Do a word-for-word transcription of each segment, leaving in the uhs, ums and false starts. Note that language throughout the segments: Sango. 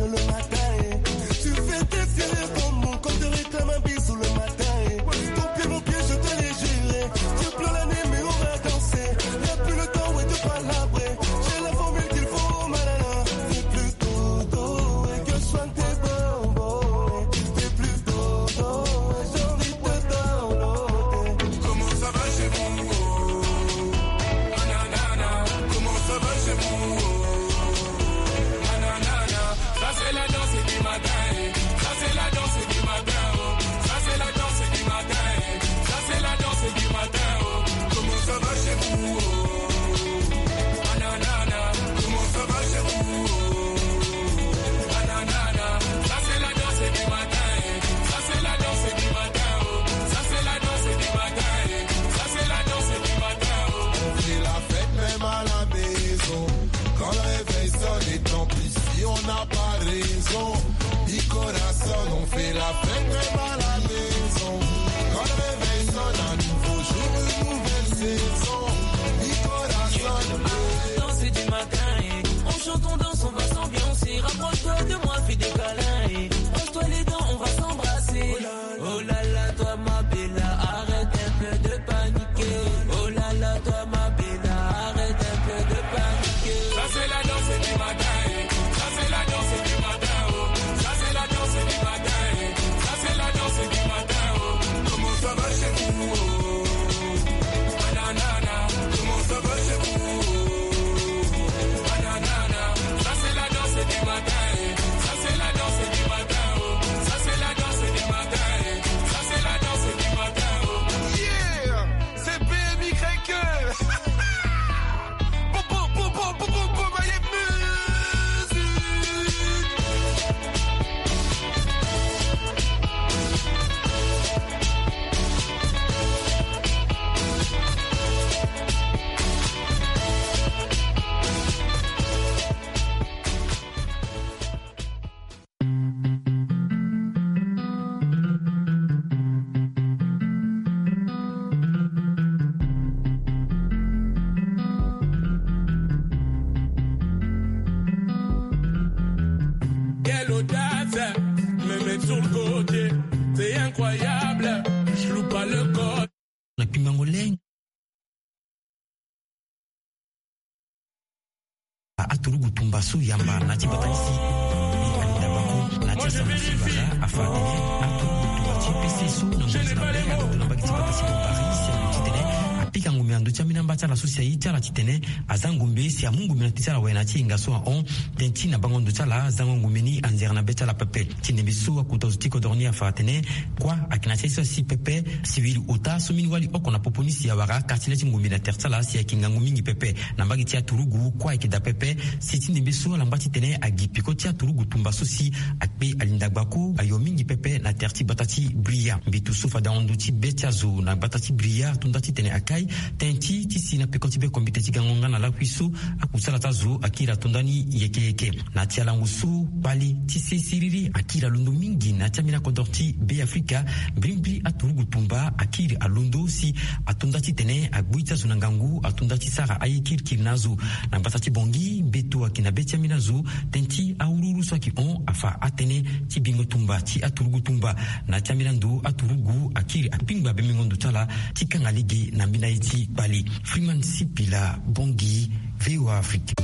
Le matin, eh. Tu fais tes fiers comme mon corps te réclame un bisou le matin, eh. Ton pied, mon pied, je te l'ai juré. Tu pleures la nuit, mais on va danser. Y'a plus le temps, ouais, de palabrer. J'ai la formule qu'il faut, malala. Fais plus dodo, et que je soigne tes bonbons, eh. Fais plus dodo, et j'ai envie de downloader. Comment ça va chez vous, oh? Nanana. Comment ça va chez vous, oh? Nanana. Ça, c'est la danse du matin, eh. Ça, c'est la danse du matin, oh. Ça, c'est la danse du matin, eh. Ça, c'est la danse du matin, oh. Comment ça va chez vous, oh? Nanana. Comment ça va chez vous, oh? Nanana. Ça, c'est la danse du matin, eh. Ça, c'est la danse du matin, oh. Ça, c'est la danse du matin, eh. Ça, c'est la danse du matin, oh. On fait la fête même à la maison. Quand le réveil sonne, et tant pis si on n'a pas raison. Mi corazón, on fait la fête même à la maison. Quand le réveil sonne, un nouveau jour, une nouvelle saison. Mi corazón. Danse du matin, eh. On chante, on danse, on va s'ambiancer. Rapproche-toi de moi, fais des câlins, eh. Brosse-toi les dents, on va s'embrasser. Oh là là, toi ma bella, arrête un peu de paniquer. Oh là là, toi ma bella, arrête un peu de paniquer. Ça, c'est la danse du matin, eh. Ça, c'est la danse du matin, oh. Ça, c'est la danse du matin, eh. Ça, c'est la danse du matin, oh. Comment ça va chez vous, oh? Nanana. Comment ça va chez vous, oh? Nanana. Ça, c'est la danse du matin, eh. Ça, c'est la danse du matin, oh. Ça, c'est la danse du matin, eh. Ça, c'est la danse du matin, oh. Yeah! C'est B M Y. Boum, boum, boum, boum, boum, boum, boum, allez, musique. Quelle audace, me mettre sur le côté, c'est incroyable, je loue pas le code. Na pimango leng. Aturugu tumba so yamba na ti bata ni si. Ni alinda bako na ti asango si bata afa atene aturugu tumba ti P C so na ngombe na mbage ti bata si bo Paris si alo titene apika ngombe na ndo ti ambeni amba ti ala so si aye ti ala titene aza ngombe si amu ngombe na ti ala wala na ti yenga so ahon. Tënë ti na bango ndo ti ala azango ngombe ni anzere na be ti ala pepe. Ti ndembe so akota zo ti kodoro ni afa atene kua ayeke na ti aye so asi pepe. Siwiri ota so mbeni wali oko na popo ni si awara kati le ti ngombe na tere ti ala si ayeke ngangu mingi pepe. Na mbage ti aturugu kua ayeke daa pepe. Si ti ndembe so ala ngba titene agi peko ti aturugu tumba so si akpe alinda gbako ayo mingi pepe na tere ti bata ti Bria. Mbeto so fade ahon ndo ti be ti azo na gbata ti Bria atonda titene akai tënë ti ti si na peko ti be kombite ti gango nga na lakui so akusala ti azo akiri atonda ni yeke yeke. Na ti alango so kpale ti se siriri akiri alondo mingi na ti ambeni akodoro ti Be Afrika. Mbirimbiri aturugu tumba akiri alondo si atonda titene agbu ti azo na ngangu atonda ti sara aye kirikiri na azo. Na gbata ti Bongi mbeto ayeke na be ti ambeni azo tënë ti awuruwuru so ayeke hon afa atënë ti bingo tumba ti aturugu tumba. Na ti ambeni ando aturugu akiri akpingba bembengo ndo ti ala ti kanga lege na mbeni aye ti kpale. Freeman Sipila, Bongi, V O A Afrique.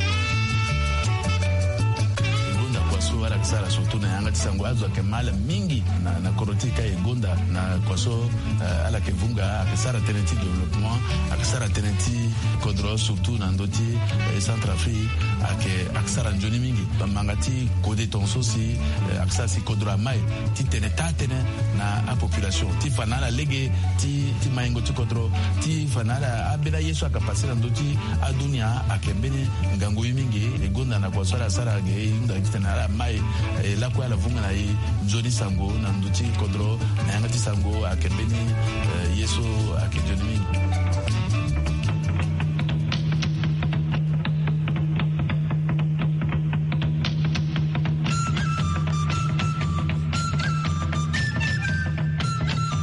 E gonda kua so ala yeke sara surtout na yanga ti sango azo ayeke mal mingi na, na kodro ti e ka e gonda na kua so, eh, ala yeke vunga ayeke sara tënë ti développement, ayeke sara tënë ti kodro surtout na ndö ti, eh, Centrafrique ayeke, ayeke sara nzoni mingi. Bamanga ti kode tongaso si, eh, ayeke sara si kodro amai titene taa tënë na apopulation ti fa na ala lege ti, ti maingo ti kodro ti fa na ala ambeni aye so ayeke pase na ndö ti adunia ayeke mbeni ngangu ye mingi. E gonda na kua so ala sara ge e hunda titene ala mai, eh, lakue ala vunga na e nzoni sango na ndö ti kodro na yanga ti sango ayeke mbeni, eh, ye so ayeke nzoni mingi.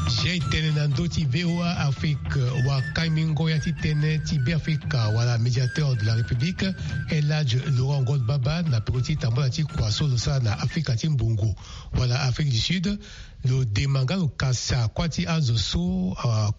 Chien tene na ndö ti V O A. Afrique, wakambingo ya ti tënë ti Beafrika wala médiateur de la République, El Hadj Laurent Ngot Baba, na peko ti tambula ti kua so lo sara na Afrika ti mbongo wala Afrique du Sud, lo dema nga lo kasa kuâ ti azo so, ah,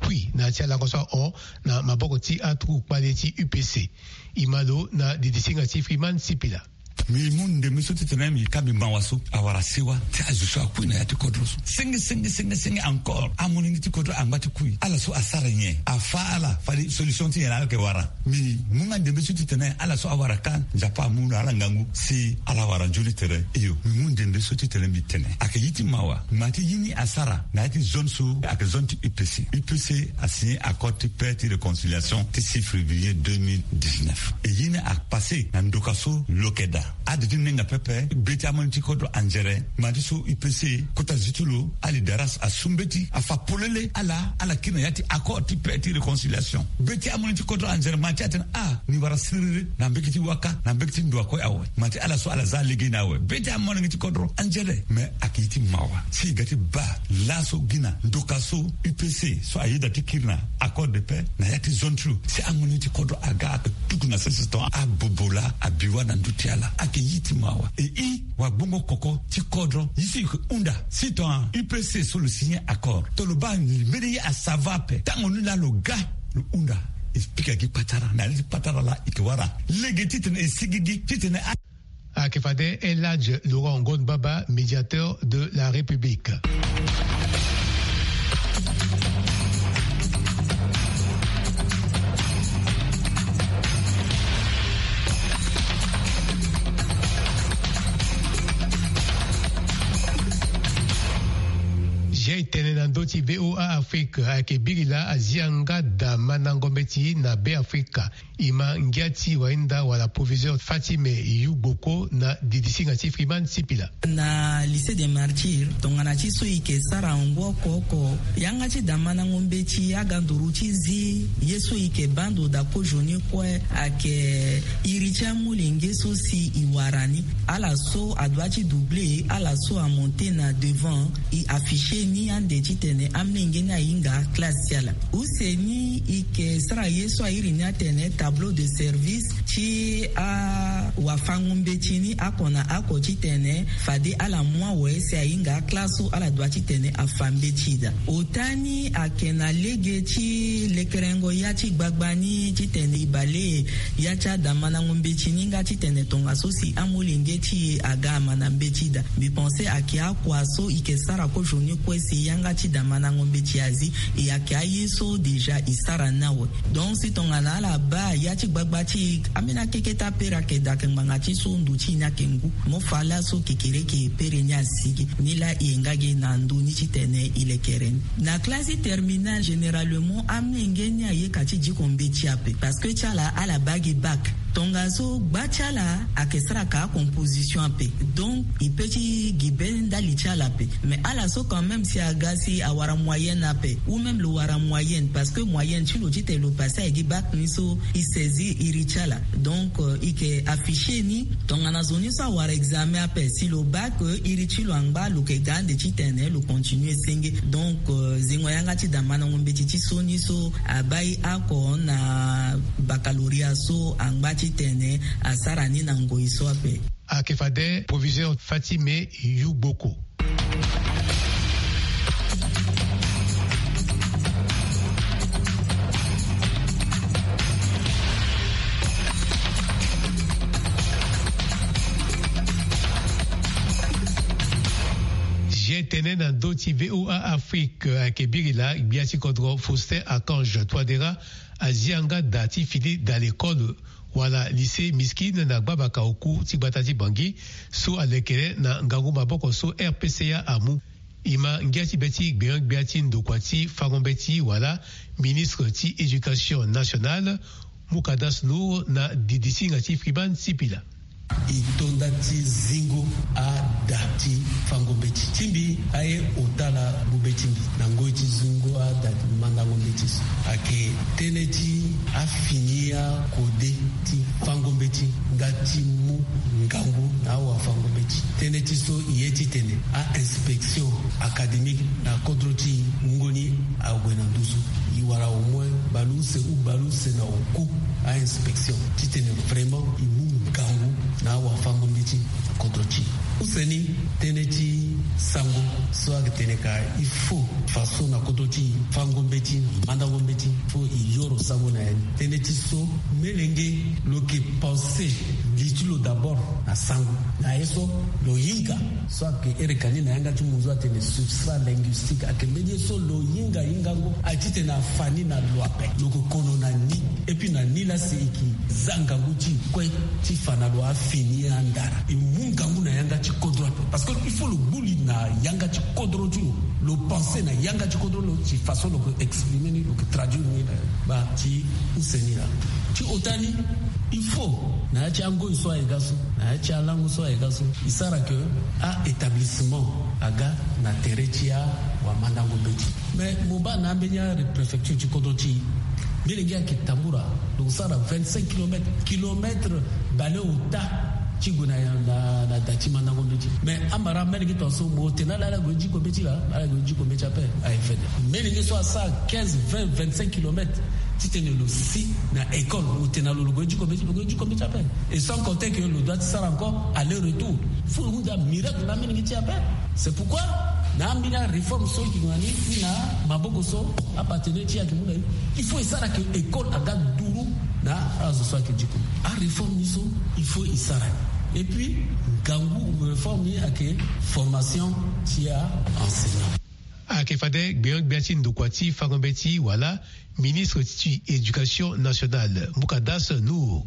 kui na ya ti alango so ahon na maboko ti atuku kpale ti U P C. E ma lo na didisinga ti Freeman Sipila. Mbi mu ndembe so titene mbi ka mbi mawa so awara sewa ti azo so akui na ya ti kodro so. Senge, senge, senge, senge encore. Amolenge ti kodro angba ti kui. Ala so asara nyen? Afâ ala fade solution ti nyen na ala yeke wara? Mbi mu nga ndembe so titene ala so awara ka Nzapa amu na ala ngangu si ala wara nzoni tere. Iyo, mbi mu ndembe so titene mbi tene ayeke ye ti mawa. Ma ti ye ni asara na ya ti zone so ayeke zone ti U P C. U P C asigné accord ti paix ti réconciliation ti six février deux mille dix-neuf. E ye ni apassé na ndoka so lo yeke daa. Ade ti nenga pepe, be ti amolenge ti kodro anzere. Ma ti so U P C kota zi ti lo, ali daras asu mbeti, afa polele ala, ala kiri na ya ti accord ti paix ti réconciliation. Be ti amolenge ti kodro anzere, ma ti atene ah, ni wara siriri na mbege ti waka, na mbege ti ndo akue awe. Ma ti ala so ala za lege ni awe. Be ti amolenge ti kodro anzere. Mais ayeke ye ti mawa si e ga ti baa laso gi na ndoka so U P C so ayeda ti kiri na accord de paix na ya ti zone ti lo, si amolenge ti kodro aga ayeke tuku na sese tongana abobo laa abi wâ na ndö ti ala. Ayeke ye ti mawa. E i wagbongo koko ti kodro, ye so e yeke hunda si tongana U P C so lo signé accord, tongana lo baa mbeni ye asava ape, tango ni laa lo ga lo hunda. E pika gi patara na ya ti patara laa e yeke wara lege titene e sigigi titene a Ayeke fade El Hadj Laurent Ngot Baba, médiateur de la République. Zia e tene na ndö ti V O A Afrique, ayeke biri laa azia nga da mandango mbeti na Beafrika. E ma ngia ti wahinda wala proviseur Fatime Yugboko na didisinga ti Freeman Sipila. Na Lycée des Martyrs, tongana ti so e yeke sara ngu oko oko, yanga ti da mandango mbeti aga nduru ti zi, ye so e yeke baa ndo daa kozoni kue, ayeke iri ti amolenge so si e wara ni. Ala so adoit ti doubler, ala so amonter na devant, e afficher ni ande titene amolenge ni ahinga classe ti ala. Use ni e yeke sara ye so a iri ni atene tableau de service ti awafango-mbeti ni oko na oko titene fade ala mu awe si ahinga classe so ala doit titene afa mbeti daa. Ota ni ayeke na lege ti lekerengo ya ti gbagba ni titene e bale ya ti ada mandango mbeti ni nga titene tongaso si amolenge ti e aga amanda mbeti daa. Mbi pense ayeke akua so e yeke sara kozoni kue si yanga ti da mandango mbeti azi, e ayeke aye so déjà e sara ni awe. Donc si tongana ala baa ya ti gbagba ti e, ambeni akeke ti apere ayeke daa, ayeke ngbanga ti so ndo ti e ni ayeke ngu. Mo fa laso kekereke pere ni asigi. Nilaa e yeke nga ge na ndo ni titene e lekere ni. Na classe terminale, généralement amolenge ni ayeke ti diko mbeti ape. Parce que ti ala, ala baa gi bac. Tongaso gba ti ala ayeke sara ka acomposition ape. Donc e peut ti gi be ndali ti ala ape. Mais ala so quand même si aga si awara moyenne ape, ou même lo wara moyenne, parce que moyenne ti lo titene lo passer gi bac ni so e saisir iri ti ala. Donc, euh, e yeke afficher ni tongana zo ni so awara examen ape, si lo baa que iri ti lo angba, lo yeke ga ande titene lo continuer senge. Donc, euh, zengo yanga ti da mandango mbeti ti so ni so abaa e oko na baccalauréat so angba titene asara ni na ngoi so ape. Ayeke fade proviseur Fatime Yugboko. Zia e tene na ndö ti V O A Afrique, ayeke biri laa gbia ti kodro Faustin Archange Touadéra azia nga da ti fini da lekole wala lycée Miskine na gbabaka oku ti gbata ti Bangui, so alekere na ngangu maboko so R P C A amu. E ma ngia ti be ti gbenyo-gbia ti ndokua ti fango mbeti wala ministre ti éducation nationale, Moukadas Nour, na didisinga ti Freeman Sipila. E to nda ti zingo ada ti fango mbeti ti mbi, aye ota na gbu mbeti mbi na ngoi ti zingo ada ti mandango mbeti so. Ayeke tënë ti afini akode ti fango mbeti nga ti mu ngangu na awafango mbeti. Tënë ti so e ye titene a-inspection académique na kodro ti e, wungo ni Ague na nduzu, e wara au moins baleuse ou baleuse na oko a inspection titene vraiment e mu ngangu na awafango-mbeti na kodro ti e. Use ni, tënë ti sango so ayeke tene ka il faut faso na kodro ti e, fango-mbeti na mandango-mbeti, faut e yoro sango na ya ni. Tënë ti so, melenge lo yeke pense li ti lo d'abord na sango. Na ye so, lo hinga so ayeke ere ka ni na yanga ti munzu atene substrat linguistique, ayeke mbeni ye so lo hinga hingango aye titene afa ni na lo ape. Lo yeke kono na ni, et puis na ni laa si e yeke za ngangu ti e kue ti fa na lo afini andara. E mu ngangu na yanga ti kodro ape. Parce que il faut lo gbu li na yanga ti kodro ti lo, lo pense na yanga ti kodro, lo ti façon lo yeke exprimer ni, lo yeke traduire ni na baa ti use ni laa. Ti ota ni, il faut na ya ti angoi so aye ga so, na ya ti alango so aye ga so, e sara ke a-établissement aga na tere ti awamandango-mbeti. Mais mo baa na ambeni apréfecture ti kodro ti e, mbeni ge ayeke tambula, lo sara vingt-cinq kilomètres, kilomètre baleota ti gue na, na, na da ti mandango-mbeti. Mais amara mbeni ge tongaso, mo tene ala, ala gue diko mbeti laa, ala gue diko mbeti ape, aye fede. Mbeni ge so asara quinze, vingt, vingt-cinq kilomètres titene lo si na école, mo tene lo, lo gue diko mbeti, lo gue diko mbeti ape. Et sans compter que lo doit ti sara encore aller-retour. Faut lo hunda miracle na mbeni ge ti e ape. C'est pourquoi na ambeni aréforme so e yeke gue na ni, ni na maboko so apartenaire ti e ayeke mu na e, il faut e sara ke école aga duru na azo so ayeke diko. Aréforme ni so, il faut e sara ni. Et puis ngangu réforme ni ayeke formation ti aenseignant. Ayeke fade gbenyo-gbia ti ndokua ti fango-mbeti wala ministre ti éducation nationale, Mukadas Nour.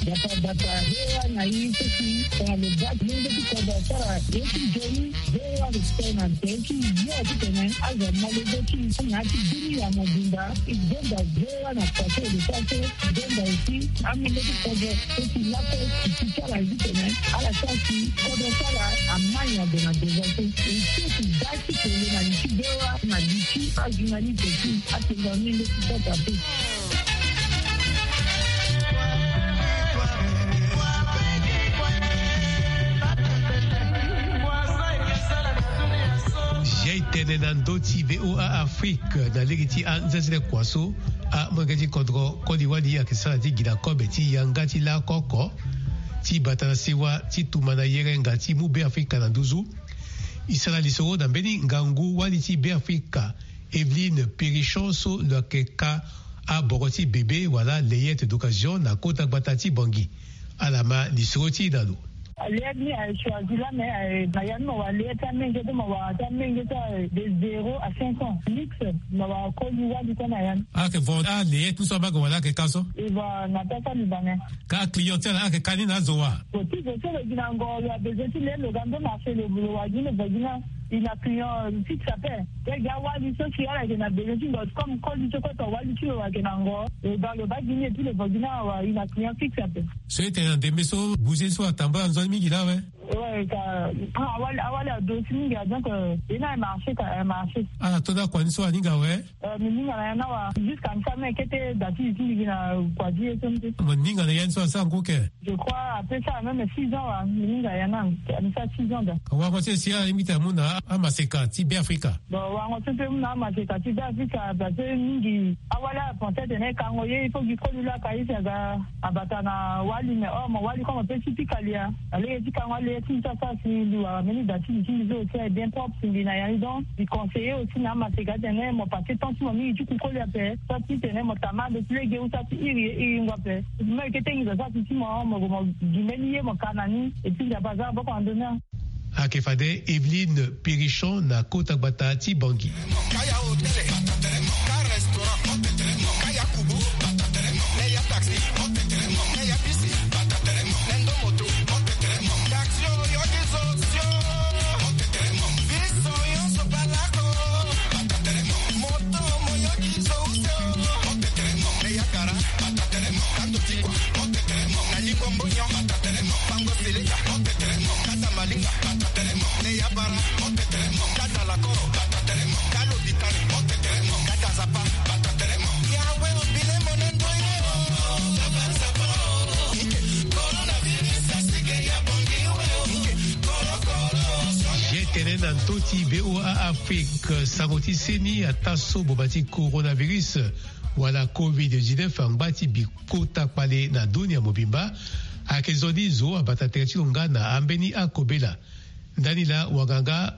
Bata bata, V O A na i seki tongana lo baa ti lenge ti kodro asara ye ti nzoni, V O A respect na tere ti yo titene azo amolenge ti i na ya ti bini ya mobimba. I gonda V O A na faso de faso, i gonda aussi amolenge ti kodro so ti lakue ti ti ti ala titene ala sara si kodro ti ala amai na gue na devant so. I seki baa ti kele na li ti V O A na li ti ajournaliste ti atongana ni leti kota pe. Jai tene na ndö ti V O A Afrique na lege ti anzenzele kua so, amolenge ti kodro koli wali ayeke sara ti gi na kobe ti yanga ti la oko oko ti bata na sewa ti tumba na yerenga ti mu Beafrika na nduzu. E sara lisoro na mbeni ngangu wali ti Beafrika, Evelyne Périchon, so lo yeke ka aboro ti bebe wala layette d'occasion na kota gbata ti Bangui. Ala ma lisoro ti e na lo. Layette ni aye choisi la, mais aye na ya ni mo wara layette ti amenge, ti mo wara ti amenge ti aye de zéro à cinq ans. Mix, mo wara koli wali kue na ya ni. Ayeke vo alayette ni so amage wala ayeke ka so? E va na pesa libanais. Ka aclient ti ala ayeke ka ni na azo wa? Lo ti zo so lo gi na ngo, lo abezoin ti le lo ga ndo marché, lo wara gi ni, lo va gi ni. E na client fixe ape. Lege awali so si ala yeke na besoin ti ndo, comme koli so kue to wali ti lo ayeke na ngo, lo baa, lo baa gi ni et puis lo va gi ni awe, e na client fixe ape. So e tene na ndembe so bouger so atambula nzoni mingi laa awe. Ouais, ka, ah, awali, awali adosi mingi, ah, donc, euh, e na marché ka, eh, marché. Ala to da kua ni so aninga awe. Euh, mi ninga na ya ni awe. Jusqu'à mi sara mê kete da ti li ti li gi na kua ti ye so ni te. Mo ninga na ya ni so asara ngu ke? Je crois après ça même six ans wa, mi ninga ya na, mi sara six ans da. Warango ti e si ala lingbi ti amu na amaseka ti Beafrika? Bon, warango ti e mpe mu na amaseka ti Beafrika, parce que mingi awali ala pense atene kango ye, il faut gi koli laa ka ye si aga abata na wali, mais or mo wali comme mo peut ti pika li ya. Na lege ti kango alege ti mbi ti asara si mbi wara mbeni da ti mbi ti mbi so aussi aye bien propre si mbi na ya ni. Donc mbi conseiller aussi na amaseka atene mo passe temps ti mo mingi ti ku koli ape. Soit ti tene mo tama ande ti lege ou soit ti iri ye iringo ape. Mo yeke tengi zo sara si ti mo, mo gue mo gi mbeni ye mo ka na ni. Et puis Nzapa aza maboko na ndö ni. Ayeke fade Evelyne Périchon na kota gbata ti Bangui. Kaya hôtel, ka restaurant, kaya kubu, kaya taxi, kaya bisi, kaya moto, taxi oyo biso sio, biso nyonso balako, moto moyoki zo usio, kaya kara, kando tikwa, na likombo nyo, bango seleka, kata malinga, Leya bara, kata lakoro, kata lopitani, kata zapa. Yawe obile monendo ye. Na ndö ti VOA Afrique, sango ti seni ataa so boma ti coronavirus wala covid dix-neuf angba ti bi kota kpale na dunia mobimba. Ayeke zo ni zo abata tere ti lo nga na ambeni akobela. Ndani laa wanganga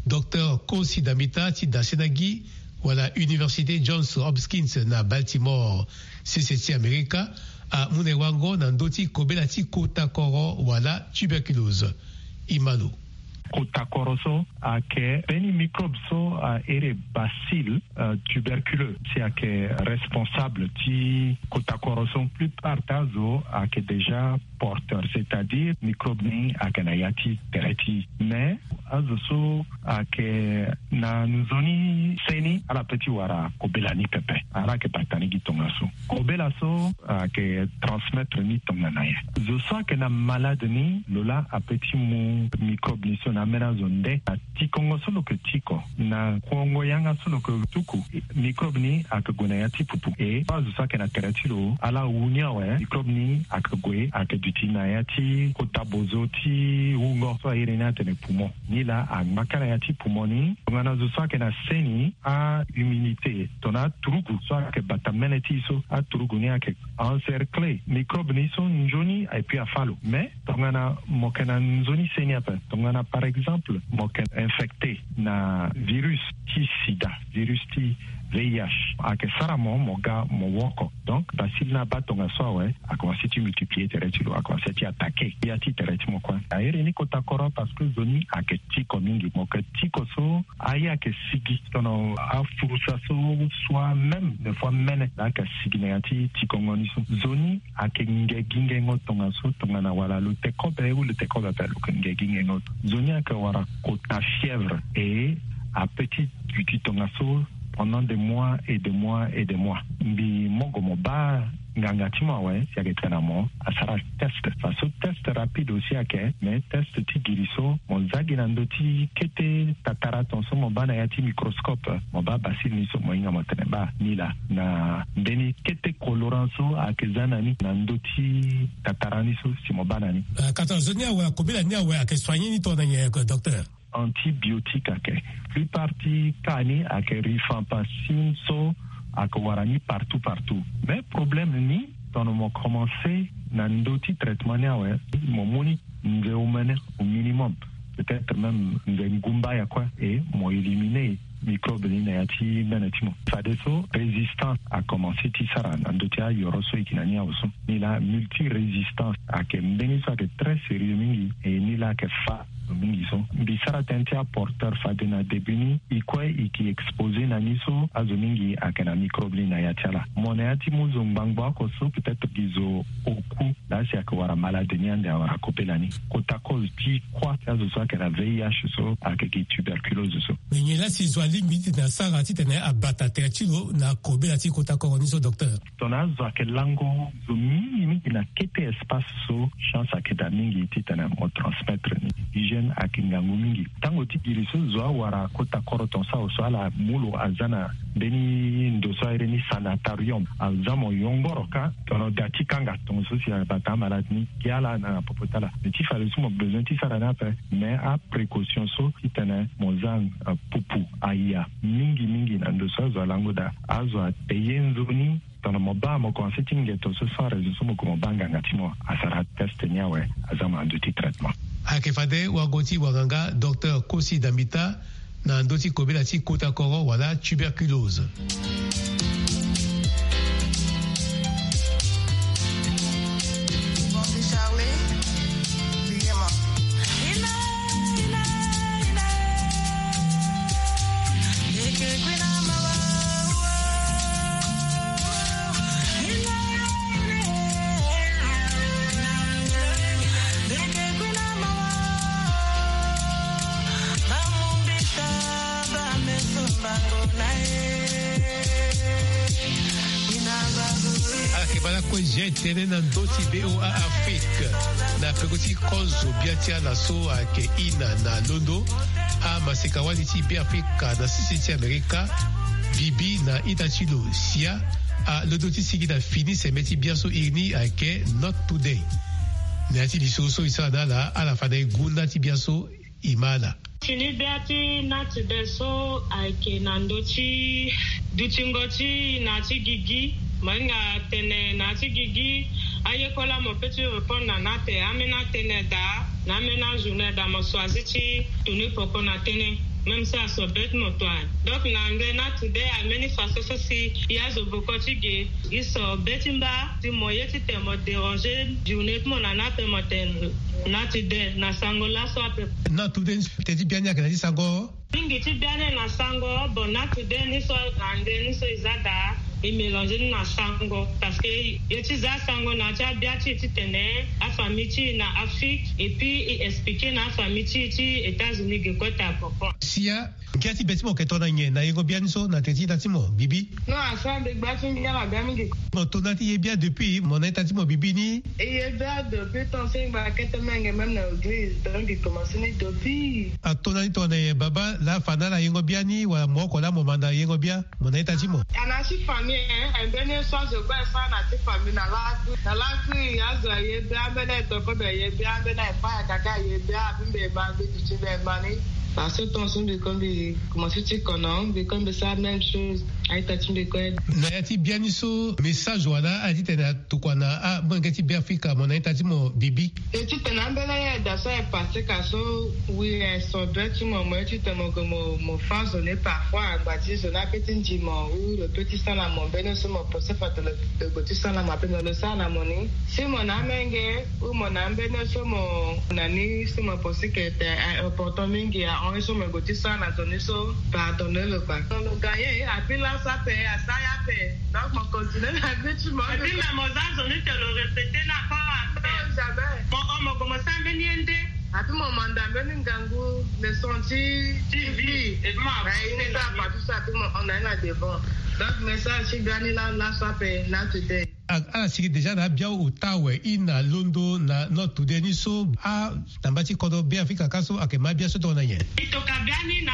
Docteur Kosi Damita ti Dasenagi wala Université Johns Hopkins na Baltimore, sese ti Amerika, amu na e wango na ndö ti kobela ti kota koro wala tuberculose. Imalo. Kota koro so ayeke mbeni microbe so ahere bacille, euh, tuberculeux, si ayeke responsable ti kota koro so. Plupart ti azo ayeke déjà porteur, c'est-à-dire microbe ni ayeke na ya ti tere ti. Mais azo so ayeke na nzoni seni, ala pe ti wara kobela ni pepe. Ala yeke bata ni gi tongaso. Kobela so ayeke transmettre ni tongana nyen? Zo so ayeke na malade ni, lo laa ape ti mu microbe ni so na ambeni azo nde na tikongo so lo yeke tiko, na kongo yanga so lo yeke tuku, microbe ni ayeke gue na ya ti pupu. E azo so ayeke na tere ti lo, ala wu ni awe, microbe ni ayeke gue, ayeke duti na ya ti kota bozo ti wungo so airi ni atene poumon. Ni laa angba kâ na ya ti poumon ni. Tongana zo so ayeke na seni, ahumidité, tongana aturugu so ayeke bata mene ti e so, aturugu ni ayeke encercler microbe ni so nzoni, et puis afâ lo. Mais tongana mo yeke na nzoni seni ape, tongana par exemple mo yeke infecté na virus ti sida, virus ti V I H, ayeke sara mo, mo ga mo woko. Donc bacille ni abaa tongaso awe, akomanse ti multiplier tere ti lo, akomanse ti attaquer ya ti tere ti mo kue. Airi ni kota koro parce que zo ni ayeke tiko mingi. Mo yeke tiko so aye ayeke sigi, tongana afurusa so, soit même des fois mene laa ayeke sigi na ya ti tikongo ni so. Zo ni ayeke nge gi ngengo tongaso, tongana wala lo te kobe ou lo te kobe ape, lo yeke nge gi ngengo. Zo ni ayeke wara kota fièvre, e ape ti duti tongaso pendant des mois et des mois et des mois. Mbi mogo mo baa nganga ti mo awe, si ayeke tene na mo, asara test. Faso test rapide aussi ayeke, mais test ti giri so mo za gi na ndö ti kete tatara ton so mo baa na ya ti microscope, mo baa bacille ni so, mo hinga mo tene baa ni laa na mbeni kete colorant so ayeke za na ni na ndö ti tatara ni so, si mo baa na ni. Ah, ka tongana zo ni awe, akobela ni awe ayeke soigner ni tongana nyen, docteur? Antibiotique ayeke. Plupart ti cas ni ayeke rifampicine so ayeke wara ni partout partout. Mais problème ni, tongana mo commencé na ndö ti traitement ni awe, mo mu ni nze omene au minimum, peut-être même nze ngumba ya kue, et mo éliminer microbe ni na ya ti mene ti mo. Fadeso résistance akomanse ti sara na ndö ti ayoro so e yeke na ni awe so. Ni laa multirésistance ayeke mbeni so ayeke très sérieux mingi, e ni laa ayeke fa mingi so. Mbi sara tënë ti aporteur fade na début ni, e kue e yeke exposé na ni so azo mingi ayeke na microbe ni na ya ti ala. Mo na ya ti mu zo ngbangbo oko so, peut-être gi zo oku laa si ayeke wara malade ni ande awara kobela ni. Kota cause ti kuâ ti azo so ayeke na V I H so ayeke gi tuberculose so. Me nyen laa si zo alingbi titene asara titene abata tere ti lo na kobela ti kota koro ni so, docteur? Tongana azo ayeke lango zo mingi mingi na kete espace so, chance ayeke daa mingi titene mo transmettre ni. Hygiène ayeke ngangu mingi. Tango ti giri so zo awara kota koro ton so awe so, ala mu lo aza na mbeni ndo so airi ni sanatorium, aza mo yongoro kâ tongana da ti kanga, tongaso si abata amalade ni, gi ala na popo ti ala. Me ti fade so mo besoin ti sara ni ape, mais aprécaution so titene mo za, euh, pupu aya mingi mingi na ndo so azo alango daa. Azo ate ye nzoni, tongana mo baa mo komanse ti ngeto so sans raison so mo ko mo baa nganga ti mo asara test ni awe, aza mo na ndö ti traitement. Ayeke fade wango ti wanganga Docteur Kosi Dambita na ndö ti kobela ti kota koro wala tuberculose. Ayeke bala kue G T N na ndö ti VOA Afrique. Na peko ti kozo bia ti ala so ayeke ina na londo, amaseka wali ti Beafrika na sese ti Amerika, bibi na ita ti lo sia. Alondo ti sigi na fini sembe ti biaso iri ni ayeke Not Today. Na ya ti lisoro so e sara na ala, ala fa na e gunda ti biaso e ma ala. Fini bia ti Nat Dé so ayeke na ndö ti dutingo ti na ya ti gigi. Mo hinga tene na ya ti gigi, ayekola mo pe ti répondre na na ate, ambeni atene daa, na ambeni ajournée daa, mo choisi ti tunu poko na tënë, même si aso be ti mo to aye. Donc na anglais Nat Dé ambeni façon so si e azo boko ti ge, e so be ti mba, si mo ye ti tene mo déranger journée ti mo na na ape, mo tene Nat Dé na sango laso ape. Nat Dé ni teti bia ni ayeke na ti sango. Mingi ti bia ni na sango, bon, Nat Dé ni so na anglais ni so e za daa, e mélanger ni na sango, parce que ye ti za sango na ya ti abia ti e ti tene afamille ti e na Afrique, et puis e expliquer na afamille ti e ti États-Unis ge kue taa poko. Sia, ngia ti be ti mo yeke tongana nyen na yengo bia ni so na teti ita ti mo Bibi? Non, asara mbi gba ti ngia na bia mingi. Mo to na ti ye bia depuis mo na ita ti mo Bibi ni? E ye bia depuis temps so e ngba kete menge même na église, donc e commencé ni depuis. Ato na ni tongana nyen baba laa afa na ala yengo bia ni wala mo oko laa mo manda yengo bia mo na ita ti mo? A na ya ti famille, hein, e mbeni ye so azo kue asara na ya ti famille na lakui. Na lakui azo aye bia, ambeni aye toko mbi aye bia, ambeni aye fa ayaka ka aye bia, abi mbi e ma mbi duti mbi e ma ni. Parce que temps so mbi kue mbi commencé ti kono, mbi kue mbi sara même chose. Aita ti mbi kue. Na ya ti bia ni so message wala aye ti tene atokua na amolenge ti Beafrika mo na aita ti mo Bibi? E ti tene ambeni aye daa so aye passé ka so, oui, e so be ti mo, mo ye ti tene mo gue mo, mo fâ zo ni parfois, angba ti zo ni ape ti ndi mo, ou lo pe ti sara na mo mbeni so mo pensé fa tene lo, lo gue ti sara na mo ape, me lo sara na mo ni. Si mo na amenge ou mo na ambeni so mo na ni, so mo pensé que tene, eh, important mingi ahon ye so mo gue ti sara na zo ni so, pardonner lo kua. Lo gagné, apui laso ape, asara ye ape. Donc mo continuer na vie ti mo. Apui me mo za zo ni tene lo répéter ni encore ape. Non, jamais. Mo hon mo gue mo sara mbeni ye nde. Apui mo manda mbeni ngangu leçon ti, ti vie. Apui mo hon na ye na devant. Donc message ti ga ni laa laso ape, Nat Dé. A, ala sigi déjà na abia ota awe, e na londo na Nat Dé ni so, a, na mba ti kodro Beafrika ka so ayeke ma abia so tongana nyen? Mbi toka bia ni na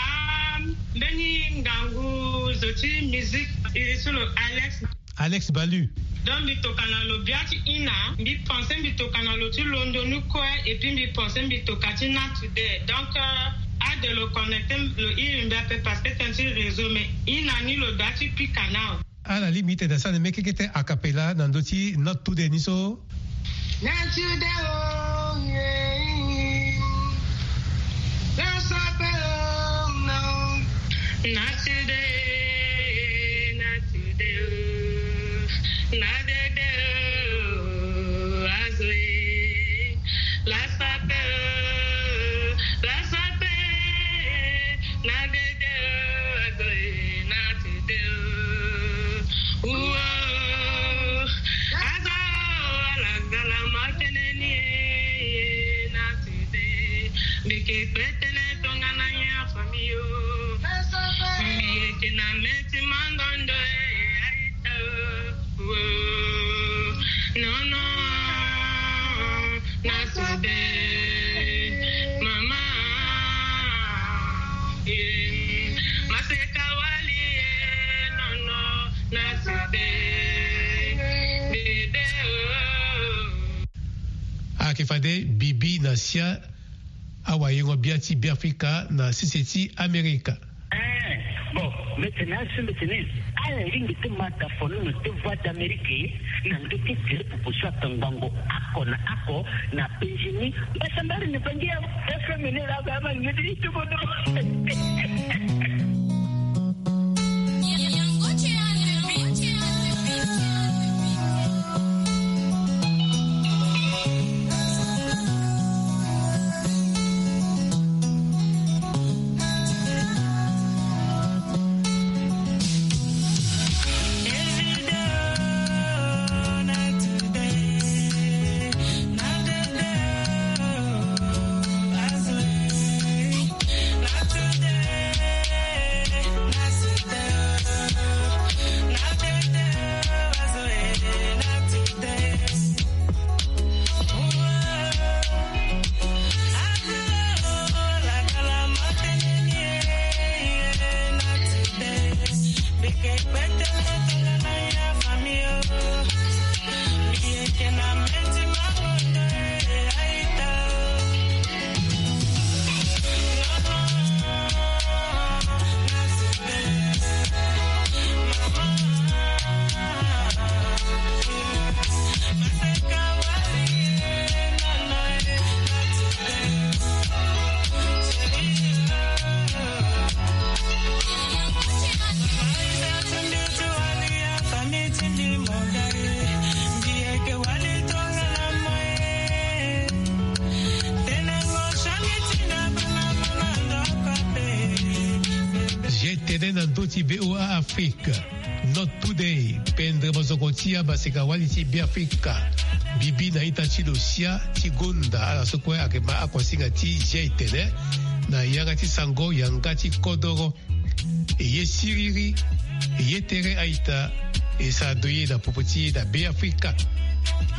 mbeni ngangu zo ti musique, iri so lo Alex. Alex Balu. Donc mbi toka na lo bia ti ina, mbi pensé mbi toka na lo ti londo ni kue, et puis mbi pensé mbi toka ti Nat Dé. Donc, euh, ade lo connecté lo iri mbi ape parce que tënë ti réseau, mais ina ni lo bia ti pika nao. Ala lingbi ti tene asara na mbi kekete a cappella na ndö ti Nat Dé ni so. Nat Dé o, yeah. Laso ape o, no. Nat Dé, Nat Dé o. Nat Dé o, azo e. Laso ape o, laso ape. Nat Dé o, azo e, Nat Dé o. Uo, azo, ala zala ma tënë ni e, Nat Dé. Mbi ke kpe tënë tongana nyen a famille o. Mbi yeke na mê ti mangondo e, aita o. Uo, non, non. Nat Dé, mama, eh, maseka wali, eh, non, non, Nat Dé, bébé, oh. Ayeke fade Bibi na sia awayengo bia ti Beafrika na sese ti Amerika. Eh, bon, mbi tene asi mbi tene ala lingbi ti ma da fo ni na ti Voix d'Amérique na ndö ti tele popo so atongbango oko na oko na penzi ni. Mbasambari ni bangi ya F M ni laa ba ma ngedi ni ti bodo. Tene na ndö ti VOA Afrique, Not Today, pendere mosoko ti amaseka-wali ti Beafrika, bibi na ita ti lo sia ti gonda ala so kue ayeke ma akuasinga ti zia etene na yanga ti sango yanga ti kodoro. E ye siriri, e ye tere a-ita, e sara doye na popo ti e na Beafrika.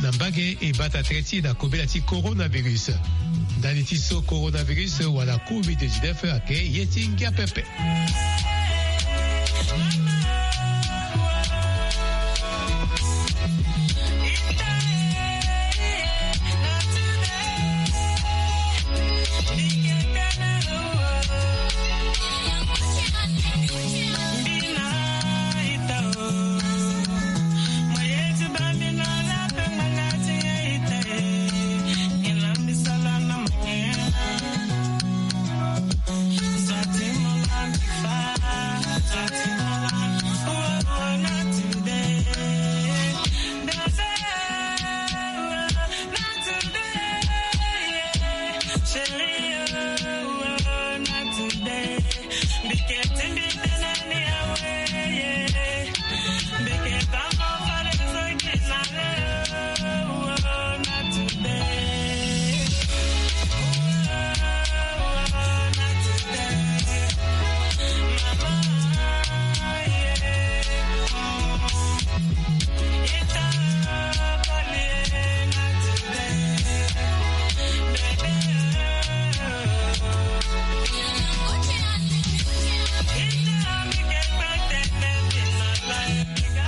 Na mbage e bata tere ti e na kobela ti coronavirus. Ndali ti so coronavirus wala covid dix-neuf ayeke ye ti ngia pepe.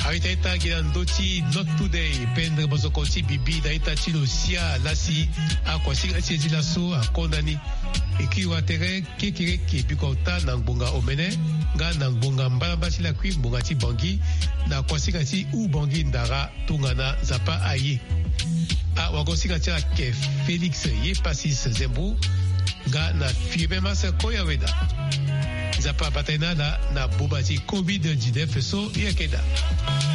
Aita ita gi na ndö ti Not Today, pendere mosoko ti bibi na ita ti lo sia lasi. Akuasinga ti e ti laso akonda ni. E kiri wa tere kekereke bikota na ngbonga omene nga na ngbonga mbalamba ti lakui ngbonga ti Bangui, na kuasinga ti Oubangui Ndara tongana Nzapa aye. Awagosinga ti ayeke Félix ye Passis Zembo nga na Firmin Mas Koyaweda. Nzapa abata ye na ala na boma ti covid dix-neuf so e yeke daa.